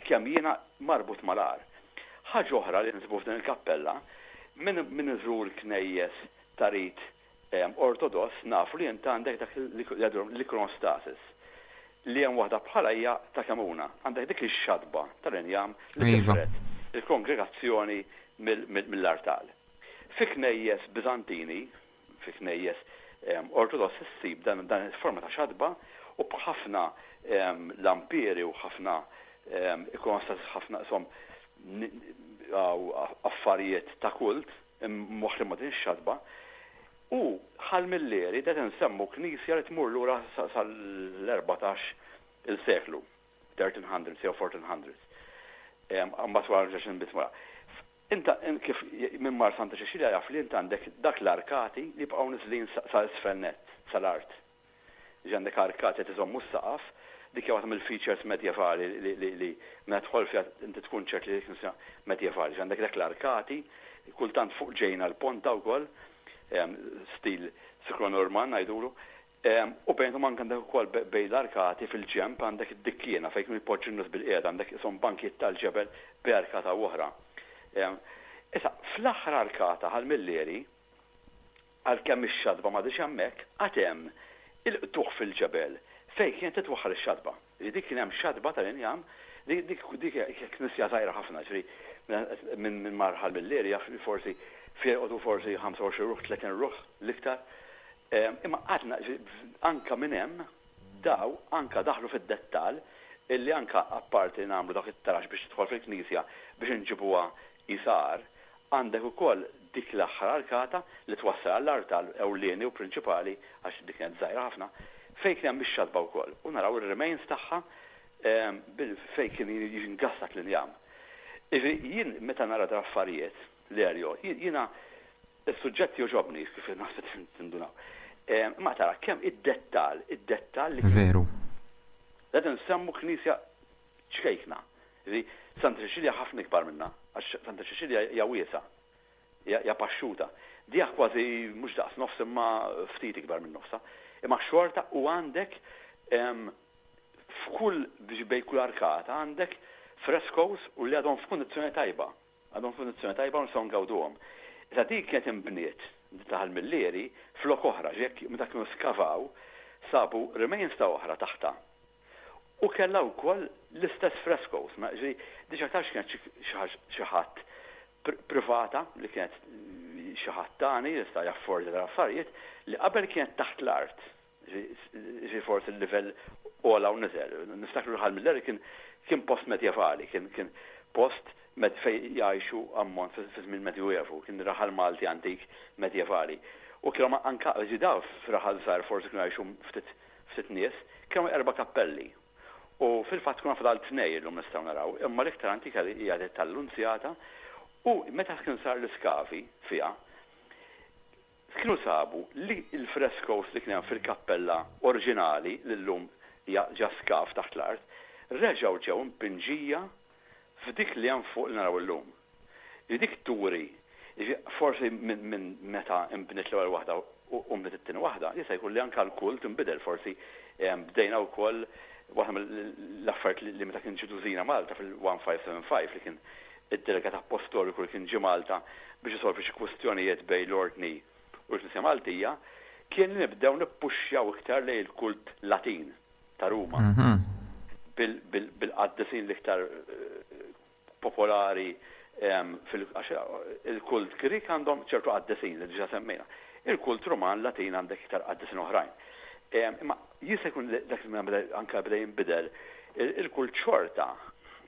Kemm jiena marbut mal-għar. Ħaġa oħra li nsibu f'din il-kappella, min min iżur knejjes ta' rit Ortodoss nafu li int għandek dak li jgħidulhom l-ikonostasis, li hemm waħda bħalha hija ta' Kemuna. Għandek dik ix-xatba tal-injam li tifred il-kongregazzjoni mill-artal. Fi knejjes Biżantini, fi knejjes Ortodossi ssib dan il-forma ta' xatba u b'ħafna lampieri u ħafna ikonostasis, ħafna qishom affarijiet ta' kult Imwaħħlin ma' din ix-xatba. U Ħal Millieri qed insemmu knisja li tmur lura sal-14 il seklu, 1300s jew 1400s. Imbagħad wara reġgħet inbniet wara. Inta kif min mar Santa Ċeċilja jaf li int għandek dak l-arkati li jibqgħu niżlin sa isfel nett, sal-art. Jiġi għandek arkati qed iżommu s-saqaf, dik hija waħda mill-features medjevali li li meta tidħol fiha inti tkun ċert li dik knisja medjevali. Jiġi għandek dak l-arkati, kultant fuq ġejna l-ponta wkoll, stil Siklo-Normann ngħidulu. U bejnhom anke għandek ukoll bejn l-arkati fil-ġenb għandek id-dikkiena fejn kienu jpoġġu n-nies bilqiegħda, għandek qishom bankijiet tal-ġebel bejn arkata u oħra. Issa, fl-aħħar arkata Ħal Millieri, Għalkemm ix-xatba m'għadhiex hemmhekk, għad hemm il-qtugħ fil-ġebel fejn kienet titwaħħal ix-xatba. Jiġifieri dik kien hemm xatba tal-injam, dik dik dik hija knisja żgħira ħafna, jiġifieri minn min mar Ħal Millieri jaf li forsi fiha joqogħdu forsi 25 ruħ, 30 ruħ l-iktar. Imma għadna jiġifieri anke minn hemm daw anke daħlu fid-dettall illi anke apparti li nagħmlu dak it-taraġ biex tidħol fil-knisja biex inġibuha qisha għar, Għandek ukoll dik l-aħħar arkata li twassal għall-artal ewlieni u prinċipali, għax dik kienet żgħira ħafna, fejn kien hemm ix-xatba wkoll u naraw ir-remains tagħha fejn kien jingassat l-injam. Jiġifieri jien meta nara dal-affarijiet, Lerjo, jiena s-suġġett jogħġobni kif naħseb tindunaw. Imma tara kemm id-dettall, id-dettall li kien. Veru. Qed insemmu knisja ċkejkna. Jiġifieri Santa Ċeċilja ħafna ikbar minnha, għax Santa Ċeċilja hija wiesgħa, hija paxxuta. Diha kważi mhux daqs nofs imma ftit ikbar minn nofsha. Imma xorta u għandek f'kull bejn kull arkata għandek frescoes u li għadhom f'kundizzjoni tajba. Għadhom f'kundizzjoni tajba u nistgħu ngawduhom. Issa din kienet inbniet, din ta' Ħal Millieri, flok oħra, ġifieri jekk meta kienu skavaw sabu remains ta' oħra taħtha. U kellha wkoll l-istess frescoes, ma ġifieri di x'aktarx kienet xi ħadd privata li kienet xi ħadd tani li seta' jaffordja dawn l-affarijiet li qabel kienet taħt l-art. Ġifieri forsi l-livell għola u niżel. Niftakru li Ħal Milleri kien kien post medjevali, kien kien post fejn jgħixu ammont fi żmien Medjuevu, kien raħal Malti antik medjevali. U kienu anke ġifieri dawn f'raħal żgħir forsi kienu jgħixu ftit ftit nies, kienu hemm erba' kappelli. U fil-fatt tkun fadal tnej illum nistgħu naraw, imma l-iktar antika li hija dik tal-Lunzjata u meta kien sar l-iskavi fiha, Kienu sabu li l-frescoes li kien hemm fil-kappella oriġinali, li llum hija ġa skav taħt l-art, reġgħu ġew impinġija f'dik li hemm fuq li naraw illum. Jiġifieri dik turi, jiġifieri forsi minn minn meta nbniet l-ewwel waħda u nbniet it-tieni waħda, jista' jkun li anke l-kult inbidel, forsi bdejna wkoll waħda mill-affarijiet li meta kien ġie Dusina Malta fil-1575 li kien id-delegat appostoliku li kien ġie Malta biex isolvi xi kwistjonijiet bejn l-Ordni u l-Knisja Maltija, kien li nibdew nippuxxjaw iktar lejn il-kult Latin ta' Ruma bil-qaddisin l-iktar popolari fil għax il-kult Grieg għandhom ċertu qaddisin li diġà semmejna. Il-kult Ruman Latin għandek iktar qaddisin oħrajn. Imma jista' jkun li dak iż-żmien anke beda jinbidel il-kult xorta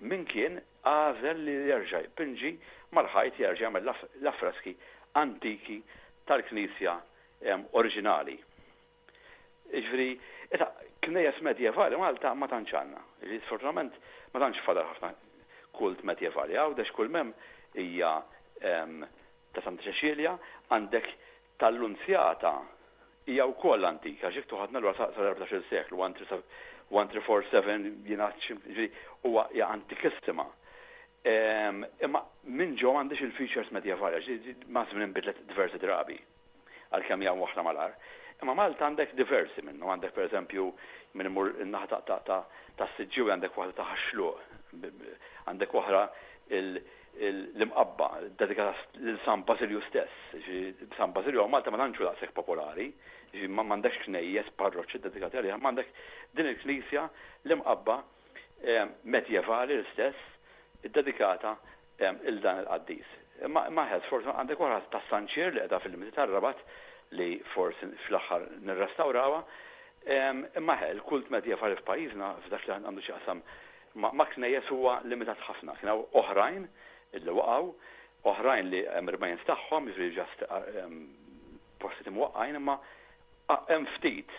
min kien għażel li jerġa' jpinġi mal-ħajt jerġa' jagħmel l-affreski antiki tal-knisja oriġinali. Jiġifieri, issa, knejjes medjevali Malta ma tantx għandna. Jiġifieri sfortunatament ma tantx fadal ħafna kult medjevali. Għawdex kull m'hemm hija ta' Santa Ċeċilja, għandek tal-Lunzjata hija wkoll antika, għax jekk toħodna lura sal-14-il seklu, 1347 jingħad xi, jiġifieri huwa hija antikissima. Imma minn ġo m'għandhiex il-features medjevali għax maż-żmien inbidlet diversi drabi, għalkemm hija mwaħħla mal-għar. Imma Malta għandek diversi minnhom, għandek pereżempju min imur in-naħa tas-Siġġiewi għandek waħda ta' Ħax-Xluq, għandek oħra l-Imqabba ddedikata lil San Basilju stess. Jiġifieri San Basilju hawn Malta ma tantx hu daqshekk popolari, jiġifieri m'għandekx knejjes, parroċċi ddedikati għalih, imma għandek din il-knisja l-Imqabba medjevali l-istess iddedikata 'l dan il-qaddis. Imma imma eħe, sfortunatament għandek oħra ta' San Ċir li qiegħda fil-limiti tar-Rabat li forsi fl-aħħar nirrestawrawha. Imma eħe, il-kult medjevali f'pajjiżna f'dak li għandu x'jaqsam ma' knejjes huwa limitat ħafna. Kien hawn oħrajn illi waqgħu, oħrajn li hemm remains tagħhom, jiġifieri just postijiet imwaqqgħin, imma hemm ftit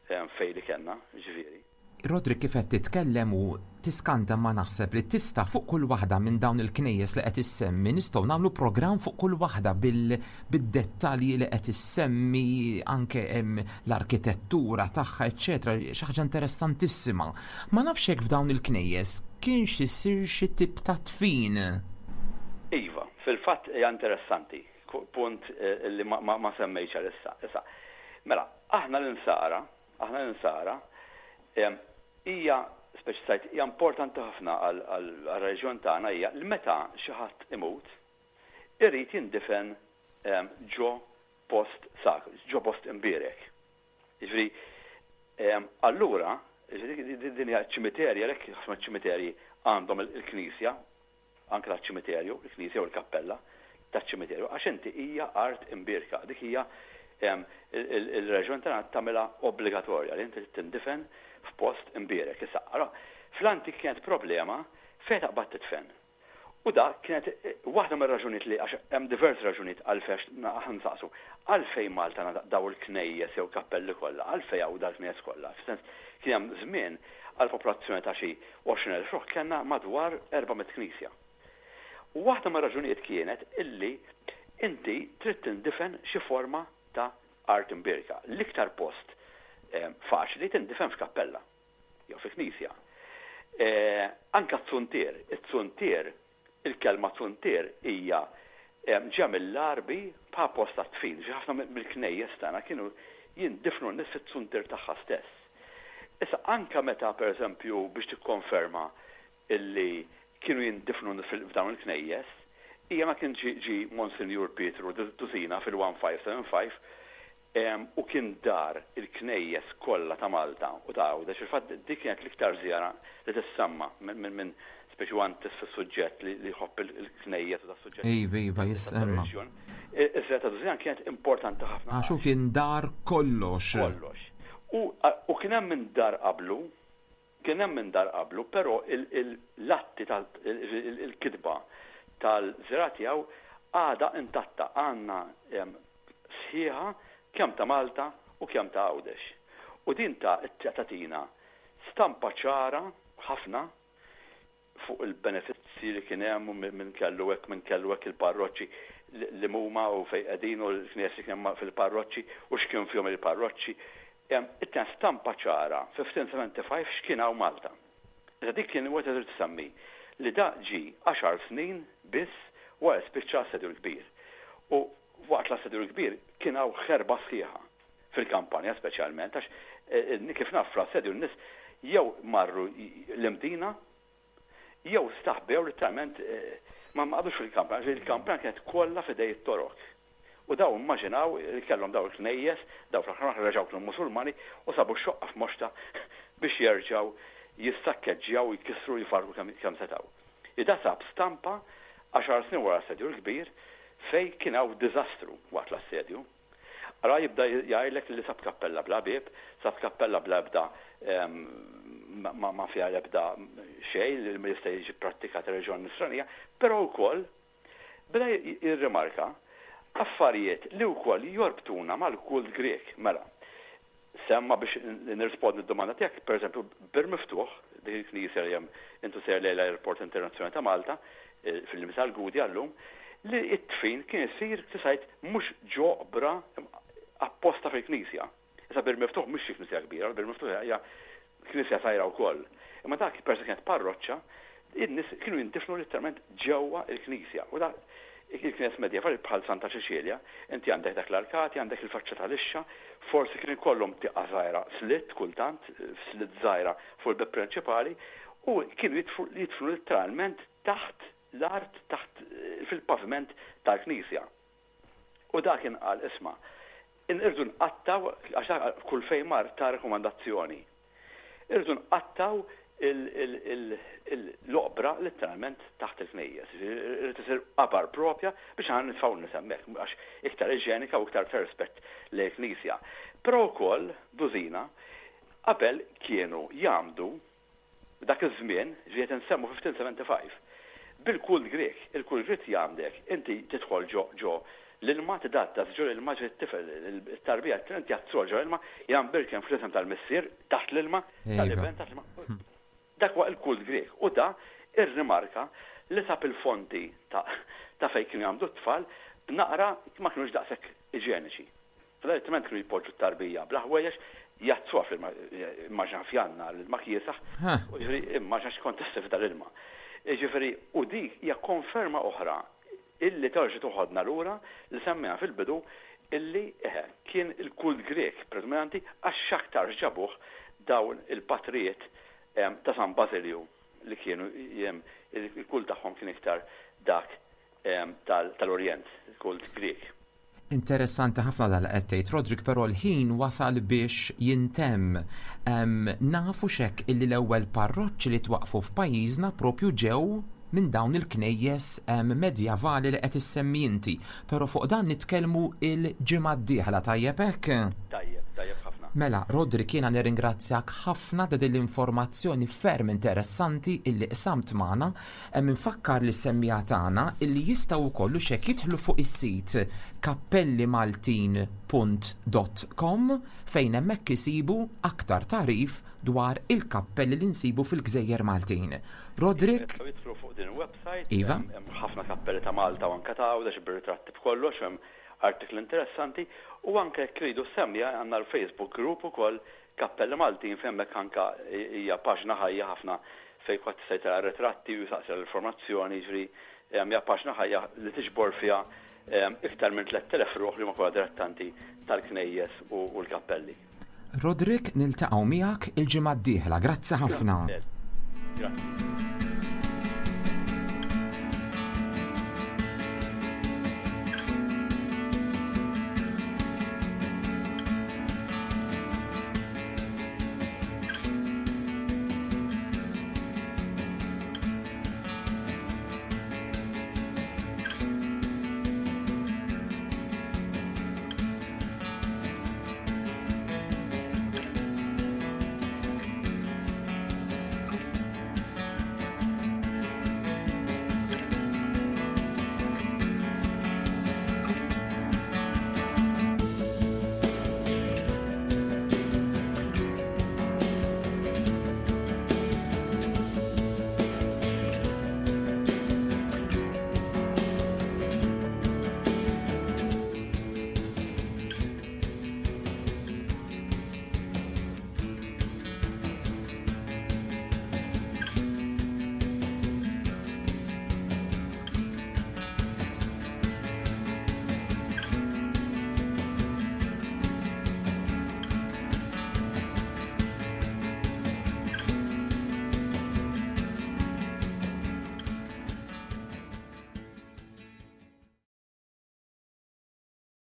fejn li kellna, jiġifieri. Roderick kif qed titkellem u tiskanta imma naħseb li tista' fuq kull waħda minn dawn il-knejjes li qed issemmi nistgħu nagħmlu programm fuq kull waħda bil-dettalji li qed issemmi anke l-arkitettura tagħha eċċetera xi ħaġa interessantissima. Ma nafx jekk f'dawn il-knejjes kienx isir xi tip ta' dfin. Iva, fil-fatt hija interessanti, punt li ma semmejtx għalissa. Issa, mela, aħna l-Insara, Aħna l-Insara, hija, speċi tgħid, hija importanti ħafna għar-reliġjon tagħna hija li meta xi ħadd imut, irid jindifen ġo post sagru, ġo post imbierek. Jiġifieri, allura, jiġifieri din hija ċ-ċimiterji, għalhekk ħafna ċimiterji għandhom il-knisja anke taċ-ċimiterju, il-knisja u l-kappella taċ-ċimiterju, għax inti hija art imbierka, dik hija il-reliġjon tagħna tagħmilha obbligatorja li inti trid tindifen f'post imbierek. Issa, allura, fl-antik kienet problema fejn taqbad tidfen. U dak kienet waħda mir-raġunijiet li għax hemm diversi raġunijiet għalfejn aħna nsaqsu għalfejn Malta għandha daw il-knejjes jew kappelli kollha, għalfejn hawn dal-knejjes kollha. Fis-sens kien hemm żmien għal popolazzjoni ta' xi 20,000 ruħ kellna madwar 400 knisja. U waħda mir-raġunijiet kienet illi inti trid tindifen xi forma ta' art imbierka. L-iktar post faċli tindifen f'kappella jew fi knisja. Anke t-zuntier, it-zuntier, il-kelma zuntier hija ġejja mill-Għarbi bħala post għad-dfin. Ġifieri ħafna mill-knejjes tagħna kienu jindifnu n-nies fit-zuntier tagħha stess. Issa anke meta per eżempju biex tikkonferma illi kienu jindifnu f'dawn il-knejjes, hija ma kien ġie ġie Monsinjur Pietru Dusina fil-1575 u kien dar il-knejjes kollha ta' Malta u ta' Għawdex, fil-fatt dik kienet l-iktar żjara li tissemma minn speċi huwa intiż fis-suġġett li jħobb il-knejjes u das-suġġett Iva, iva, jissemma. tar-reliġjon. Iż-żjara ta' Dusina kienet importanti ħafna Għax hu kien dar kollox. Kollox. U u kien hemm min dar qablu, kien hemm min dar qablu, però l-atti tal il-kitba tal-żirgħa tiegħu għadha intatta, għandna sħiħa kemm ta' Malta u kemm ta' Għawdex. U din ta' tagħtina stampa ċara ħafna fuq il-benefizzji li kien hemm u min kellu hekk, min kellu hekk il-parroċċi. li huma u fejn qegħdin u l-knejjes li kien hemm fil-parroċċi u x'kien fihom il-parroċċi. Ittina stampa ċara 1575 x'kien hawn Malta. Issa dik kien wieħed irid isemmi li da ġie għaxar snin biss wara li spiċċa l-Assedju l-Kbir. U waqt l-Assedju l-Kbir kien hawn ħerba sħiħa fil-kampanja speċjalment għax kif naf fl-assedju n-nies jew marru l-Imdina jew staħbew litteralment ma qagħdux fil-kampanja għax il-kampanja kienet kollha f'idej it-Torok. U dawn immaġinaw li kellhom dawn il-knejjes, dawn fl-aħħar mill-aħħar reġgħu kienu Musulmani u sabu x-xoqqa f'moxtha biex jerġgħu jissakkeġġjaw u jkissru u jfarrku kemm setgħu. Ida sab stampa għaxar snin wara l-Assedju l-Kbir fejn kien hawn diżastru waqt l-assedju. Ara jibda jgħidlek li sab kappella bla bieb, sab kappella bla ebda ma fiha l-ebda xejn li ma jista' jiġi pprattikat ir-reliġjon Nisranija, però wkoll beda jirrimarka affarijiet li wkoll jorbtuna mal-kult Grieg. Mela, semma biex nirrispondi d-domanda tiegħek, pereżempju, Bir Miftuħ, dik il-knisja li hemm intu sejjer lejn l-Airport Internazzjonali ta' Malta, fil-limiti tal-Gudja llum, li t-dfin kien isir kif għidt mhux ġo oqbra apposta fil-knisja. Issa Bir Miftuħ mhix xi knisja kbira, Bir Miftuħ hija knisja żgħira wkoll. Imma dak peress li kienet parroċċa, in-nies kienu jindifnu litteralment ġewwa l-knisja. U dak il-knejjes medjevali bħal Santa Ċeċilja, inti għandek dak l-arkati, għandek il-faċċata lixxa, forsi kien ikollhom tieqa żgħira slitt kultant, slitt żgħira fuq il-bieb prinċipali, u kienu jidfnu litteralment taħt l-art, taħt fil-paviment tal-knisja. U dak kien qal, isma', irridu nqattgħu, għax dak kull fejn mar ta rakkomandazzjoni, irridu nqattgħu l-oqbra letteralment taħt il-knejjes. Irid isir qabar propja biex aħna nitfgħu n-nies hemmhekk, għax iktar iġenika u iktar ta' rispett lejn il-Knisja. Però wkoll, dużina, qabel kienu jgħammdu Dak iż-żmien, ġifieri qed insemmu 1575, bil-kult Grieg, il-kult Grieg jgħammdek, inti tidħol ġo ġo l-ilma, tidgħaddas ġo l-ilma, ġifieri t-tifel, it-tarbija, inti jgħaddsuha ġo l-ilma, jgħambirkem fl-isem tal-Missier taħt l-ilma, tal-Iben taħt l-ilma. Dak huwa l-kult Grieg. U da rrimarka li sab il-fonti ta' ta' fejn kienu jgħammdu t-tfal b'naqra ma kinux daqshekk iġeniċi. Fl-artiment kienu jpoġġu t-tarbija bla ħwejjeġ, jgħaddsuha fl-ilma, immaġina f'Jannar l-ilma kiesaħ, jiġifieri immaġina x'kont issir f'dal-ilma. Jiġifieri u dik hija konferma oħra illi terġa' toħodna lura li semmejna fil-bidu illi eħe kien il-kult Grieg predominanti għax x'aktarx ġabuh dawn il-patrijiet ta' San Bażilju li kienu il-kult tagħhom kien iktar dak tal-Orjent, il-kult Grieg. Interessanti ħafna dan li qed tgħid Roderick, però l-ħin wasal biex jintemm. Nafu x'hekk illi l-ewwel parroċċi li twaqqfu f'pajjiżna propju ġew minn dawn il-knejjes medjavali li qed issemmi inti. Però fuq dan nitkellmu l-ġimgħa d-dieħla, tajjeb hekk? Tajjeb, tajjeb ħafna. Mela, Roderick jiena nirringrazzjak ħafna ta' din l-informazzjoni ferm interessanti illi qsamt magħna. Hemm infakkar lis-semmiegħa tagħna illi jistgħu wkoll hux hekk jidħlu fuq is-sit kappellimaltin punt dot com fejn hemmhekk isibu aktar tagħrif dwar il-kappelli li nsibu fil-gżejjer Maltin. Roderick. Jistgħu jidħlu fuq din il-website. Iva. Hemm ħafna kappelli ta' Malta u anke ta' Għawdex bir-ritratti b'kollox u hemm artikli interessanti u anke jekk iridu s-semmiegħa għandna l-Facebook group ukoll Kappelli Maltin fejn hemmhekk anke hija paġna ħajja ħafna fejn kulħadd jista' jtella' ritratti u jsaqsi għal informazzjoni, jiġifieri hija paġna ħajja li tiġbor fiha iktar minn 3,000 ruħ li huma kollha dilettanti tal-knejjes u l-kappelli. Roderick niltaqgħu miegħek il-ġimgħa d-dieħla. Grazzi ħafna. Grazzi.